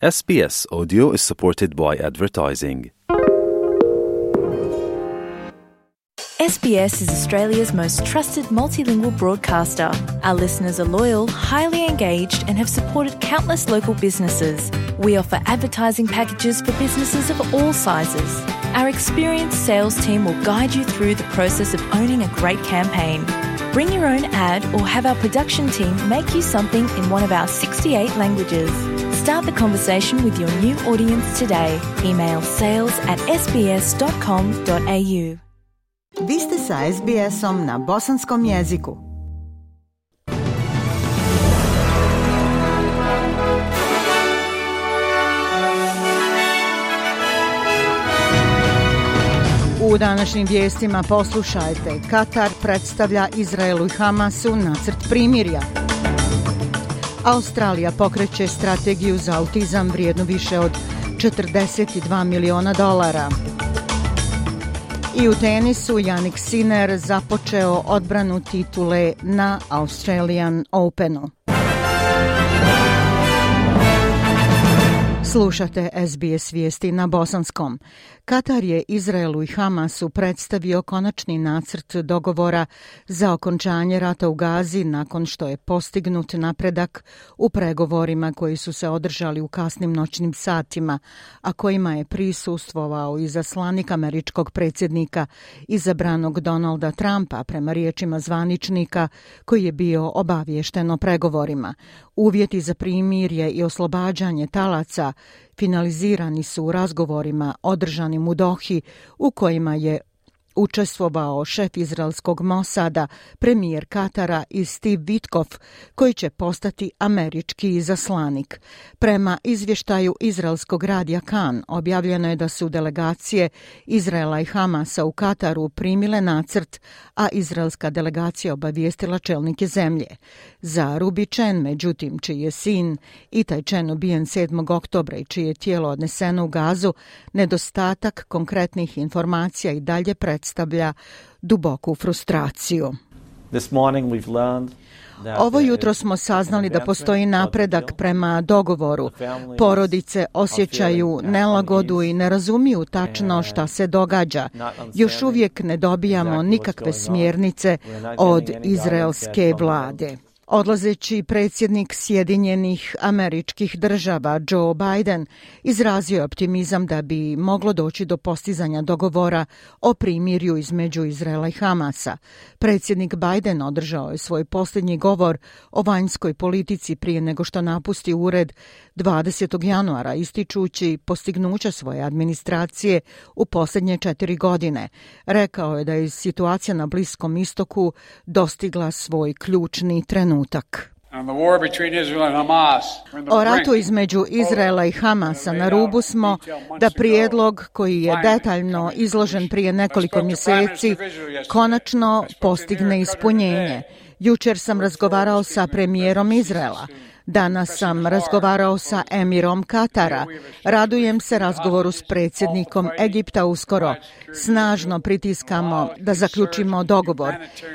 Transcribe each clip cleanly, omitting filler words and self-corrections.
SBS Audio is supported by advertising. SBS is Australia's most trusted multilingual broadcaster. Our listeners are loyal, highly engaged, and have supported countless local businesses. We offer advertising packages for businesses of all sizes. Our experienced sales team will guide you through the process of owning a great campaign. Bring your own ad or have our production team make you something in one of our 68 languages. Start the conversation with your new audience today. Email sales@sbs.com.au. Vi ste sa SBS-om na bosanskom jeziku. U današnjim vijestima poslušajte: Katar predstavlja Izraelu i Hamasu nacrt primirja. Australija pokreće strategiju za autizam vrijednu više od $42 miliona. I u tenisu Jannik Sinner započeo odbranu titule na Australian Openu. Slušate SBS vijesti na bosanskom. Katar je Izraelu i Hamasu predstavio konačni nacrt dogovora za okončanje rata u Gazi nakon što je postignut napredak u pregovorima koji su se održali u kasnim noćnim satima, a kojima je prisustvovao izaslanik američkog predsjednika izabranog Donalda Trumpa, prema riječima zvaničnika koji je bio obaviješten o pregovorima. Uvjeti za primirje i oslobađanje talaca finalizirani su u razgovorima održanim u Dohi, u kojima je učestvovao šef izraelskog Mosada, premijer Katara i Steve Witkoff, koji će postati američki izaslanik. Prema izvještaju izraelskog radija Kan, objavljeno je da su delegacije Izraela i Hamasa u Kataru primile nacrt, a izraelska delegacija obavijestila čelnike zemlje. Za Ruby Chen, međutim, čiji je sin Itai Chen ubijen 7. oktobra i čije je tijelo odneseno u Gazu, nedostatak konkretnih informacija i dalje predstavlja duboku frustraciju. Ovo jutro smo saznali da postoji napredak prema dogovoru. Porodice osjećaju nelagodu i ne razumiju tačno šta se događa. Još uvijek ne dobijamo nikakve smjernice od izraelske vlade. Odlazeći predsjednik Sjedinjenih Američkih Država Joe Biden izrazio je optimizam da bi moglo doći do postizanja dogovora o primirju između Izraela i Hamasa. Predsjednik Biden održao je svoj posljednji govor o vanjskoj politici prije nego što napusti ured 20. januara, ističući postignuća svoje administracije u posljednje 4 godine. Rekao je da je situacija na Bliskom istoku dostigla svoj ključni trenutak. O ratu između Izraela i Hamasa na rubu smo da prijedlog koji je detaljno izložen prije nekoliko mjeseci konačno postigne ispunjenje. Jučer sam razgovarao sa premijerom Izraela. Danas sam razgovarao sa emirom Katara. Radujem se razgovoru s predsjednikom Egipta uskoro. Snažno pritiskamo da zaključimo dogovor.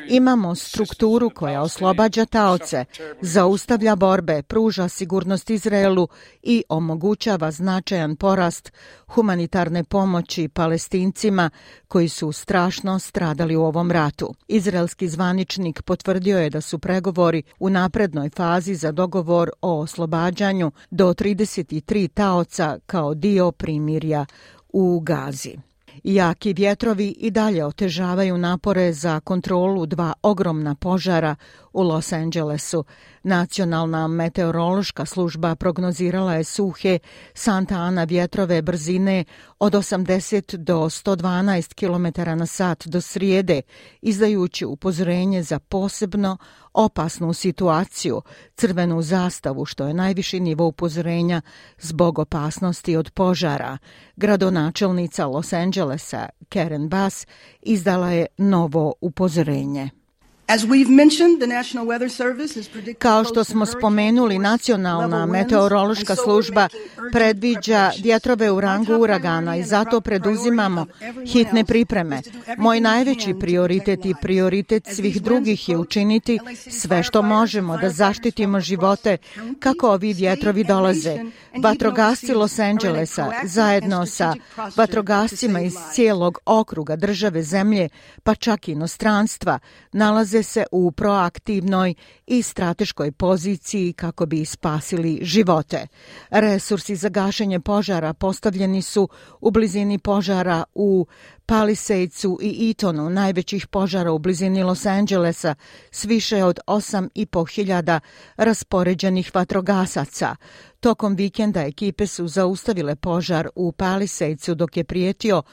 Imamo strukturu koja oslobađa taoce, zaustavlja borbe, pruža sigurnost Izraelu i omogućava značajan porast humanitarne pomoći Palestincima koji su strašno stradali u ovom ratu. Izraelski zvaničnik potvrdio je da su pregovori u naprednoj fazi za dogovor o oslobađanju do 33 taoca kao dio primirja u Gazi. Jaki vjetrovi i dalje otežavaju napore za kontrolu 2 ogromna požara u Los Angelesu. Nacionalna meteorološka služba prognozirala je suhe Santa Ana vjetrove brzine od 80 do 112 km/h do srijede, izdajući upozorenje za posebno opasnu situaciju, crvenu zastavu, što je najviši nivo upozorenja zbog opasnosti od požara. Gradonačelnica Los Angelesa, Karen Bass, izdala je novo upozorenje. Kao što smo spomenuli, Nacionalna meteorološka služba predviđa vjetrove u rangu uragana i zato preduzimamo hitne pripreme. Moj najveći prioritet i prioritet svih drugih je učiniti sve što možemo da zaštitimo živote kako ovi vjetrovi dolaze. Vatrogasci Los Angelesa zajedno sa vatrogascima iz cijelog okruga, države, zemlje, pa čak i inostranstva, nalaze se u proaktivnoj i strateškoj poziciji kako bi spasili živote. Resursi za gašenje požara postavljeni su u blizini požara u Palisadesu i Etonu, najvećih požara u blizini Los Angelesa, s više od 8.500 raspoređenih vatrogasaca. Tokom vikenda ekipe su zaustavile požar u Palisadesu dok je prijetio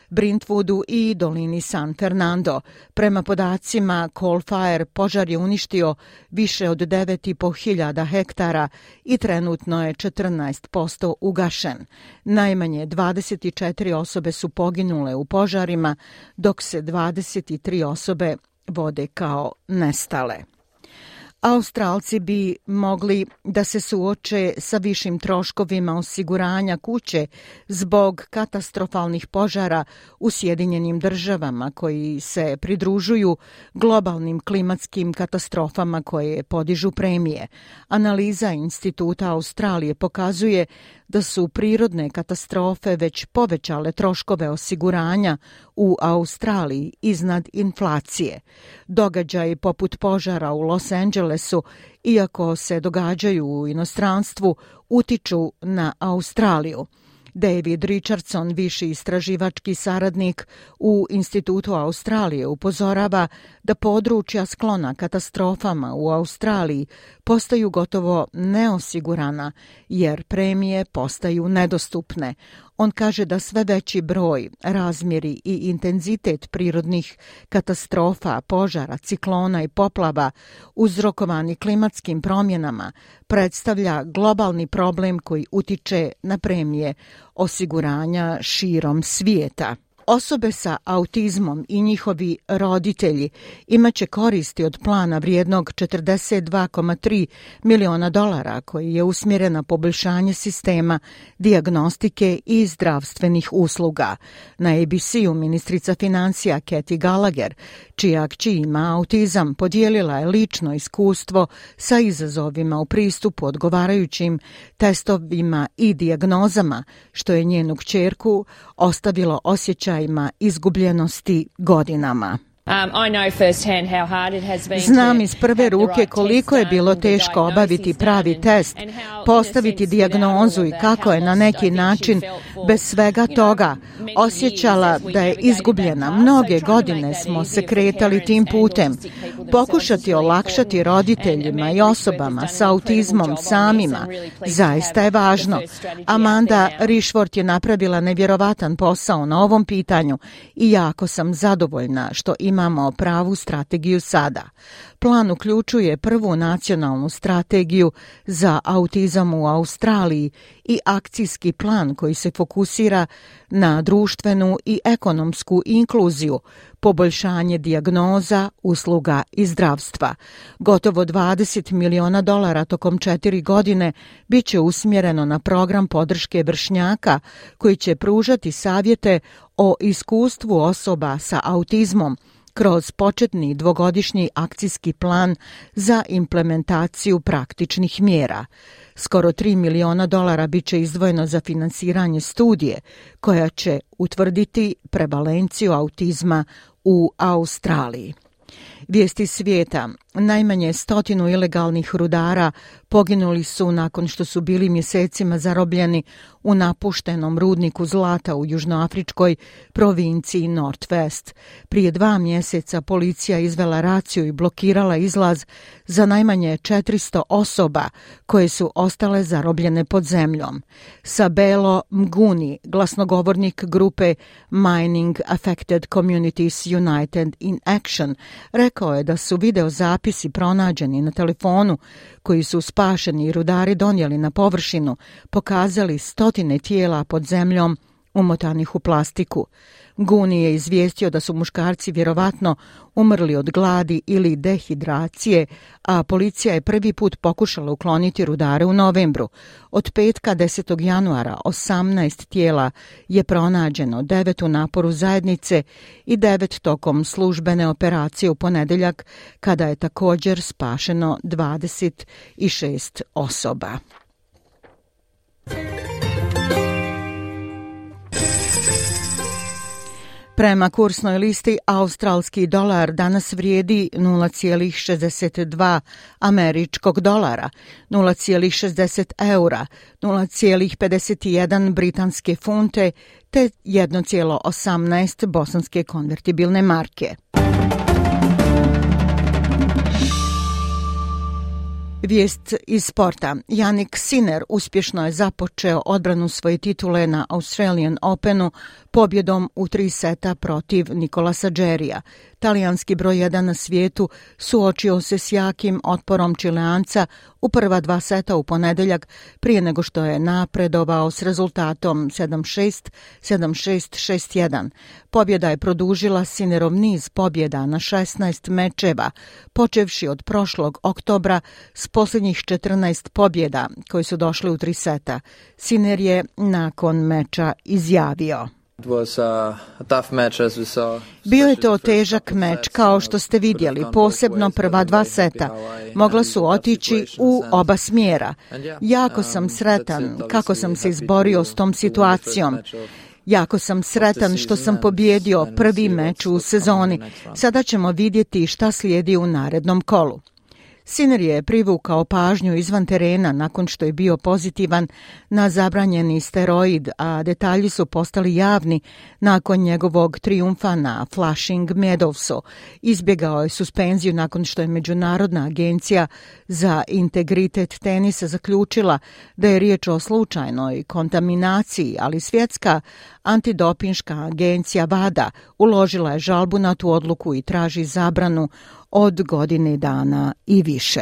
Brentwoodu i dolini San Fernando. Prema podacima Coal Fire, požar je uništio više od 9.500 hektara i trenutno je 14% ugašen. Najmanje 24 osobe su poginule u požarima, dok se 23 osobe vode kao nestale. Australci bi mogli da se suoče sa višim troškovima osiguranja kuće zbog katastrofalnih požara u Sjedinjenim državama koji se pridružuju globalnim klimatskim katastrofama koje podižu premije. Analiza Instituta Australije pokazuje da su prirodne katastrofe već povećale troškove osiguranja u Australiji iznad inflacije. Događaji poput požara u Los Angelesu, iako se događaju u inostranstvu, utiču na Australiju. David Richardson, viši istraživački saradnik u Institutu Australije, upozorava da područja sklona katastrofama u Australiji postaju gotovo neosigurana jer premije postaju nedostupne. On kaže da sve veći broj, razmjeri i intenzitet prirodnih katastrofa, požara, ciklona i poplava uzrokovani klimatskim promjenama predstavlja globalni problem koji utiče na premije osiguranja širom svijeta. Osobe sa autizmom i njihovi roditelji imaće koristi od plana vrijednog $42,3 miliona koji je usmjeren na poboljšanje sistema dijagnostike i zdravstvenih usluga. Na ABC-u ministrica financija Kathy Gallagher, čija kći ima autizam, podijelila je lično iskustvo sa izazovima u pristupu odgovarajućim testovima i dijagnozama, što je njenu kćerku ostavilo osjećajima izgubljenosti godinama. Znam iz prve ruke koliko je bilo teško obaviti pravi test, postaviti dijagnozu i kako je na neki način bez svega toga osjećala da je izgubljena. Mnoge godine smo se kretali tim putem. Pokušati olakšati roditeljima i osobama sa autizmom samima zaista je važno. Amanda Rishworth je napravila nevjerovatan posao na ovom pitanju i jako sam zadovoljna što imamo pravu strategiju sada. Plan uključuje prvu nacionalnu strategiju za autizam u Australiji i akcijski plan koji se fokusira na društvenu i ekonomsku inkluziju, poboljšanje dijagnoza, usluga i zdravstva. Gotovo $20 miliona tokom 4 godine bit će usmjereno na program podrške vršnjaka koji će pružati savjete o iskustvu osoba sa autizmom kroz početni 2-godišnji akcijski plan za implementaciju praktičnih mjera. Skoro $3 miliona bit će izdvojeno za finansiranje studije koja će utvrditi prevalenciju autizma u Australiji. Vijesti svijeta. Najmanje 100 ilegalnih rudara poginuli su nakon što su bili mjesecima zarobljeni u napuštenom rudniku zlata u južnoafričkoj provinciji Northwest. Prije 2 mjeseca policija izvela raciju i blokirala izlaz za najmanje 400 osoba koje su ostale zarobljene pod zemljom. Sabelo Mguni, glasnogovornik grupe Mining Affected Communities United in Action, rekao je da su videozapisi pronađeni na telefonu koji su spašeni rudari donijeli na površinu, pokazali 100 tijela pod zemljom umotanih u plastiku. Guni je izvijestio da su muškarci vjerovatno umrli od gladi ili dehidracije, a policija je prvi put pokušala ukloniti rudare u novembru. Od petka 10. januara 18 tijela je pronađeno, 9 u naporu zajednice i 9 tokom službene operacije u ponedjeljak, kada je također spašeno 26 osoba. Prema kursnoj listi, australski dolar danas vrijedi 0,62 američkog dolara, 0,60 eura, 0,51 britanske funte te 1,18 bosanske konvertibilne marke. Vijest iz sporta. Jannik Sinner uspješno je započeo odbranu svoje titule na Australian Openu pobjedom u 3 seta protiv Nicolasa Jarrya. Talijanski broj 1 na svijetu suočio se s jakim otporom Čileanca u prva 2 seta u ponedjeljak prije nego što je napredovao s rezultatom 7-6, 7-6, 6-1. Pobjeda je produžila Sinnerov niz pobjeda na 16 mečeva, počevši od prošlog oktobra s posljednjih 14 pobjeda koji su došli u 3 seta. Sinner je nakon meča izjavio: Bio je to težak meč, kao što ste vidjeli, posebno prva 2 seta. Mogla su otići u oba smjera. Jako sam sretan kako sam se izborio s tom situacijom. Jako sam sretan što sam pobijedio prvi meč u sezoni. Sada ćemo vidjeti šta slijedi u narednom kolu. Sinner je privukao pažnju izvan terena nakon što je bio pozitivan na zabranjeni steroid, a detalji su postali javni nakon njegovog trijumfa na Flushing Meadowsu. Izbjegao je suspenziju nakon što je Međunarodna agencija za integritet tenisa zaključila da je riječ o slučajnoj kontaminaciji, ali svjetska antidopinška agencija WADA uložila je žalbu na tu odluku i traži zabranu od godine dana i više.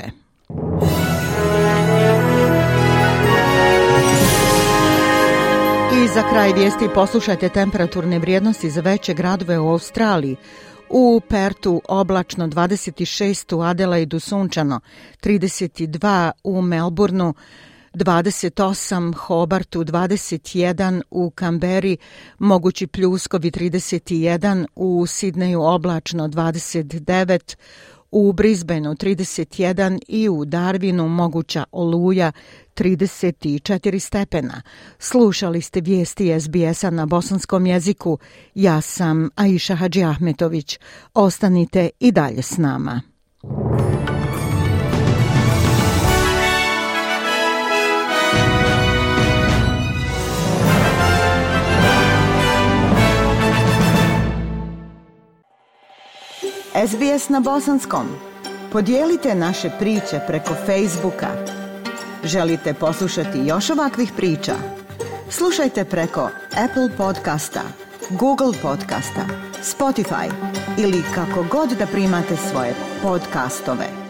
I za kraj vijesti poslušajte temperaturne vrijednosti za veće gradove u Australiji. U Pertu oblačno 26, u Adelaidu sunčano 32, u Melbourneu 28, Hobartu 21, u Kamberi mogući pljuskovi 31, u Sidneju oblačno 29, u Brisbaneu 31 i u Darwinu moguća oluja 34 stepena. Slušali ste vijesti SBS-a na bosanskom jeziku. Ja sam Aisha Hadži Ahmetović. Ostanite i dalje s nama. SBS na bosanskom. Podijelite naše priče preko Facebooka. Želite poslušati još ovakvih priča? Slušajte preko Apple podcasta, Google podcasta, Spotify ili kako god da primate svoje podcastove.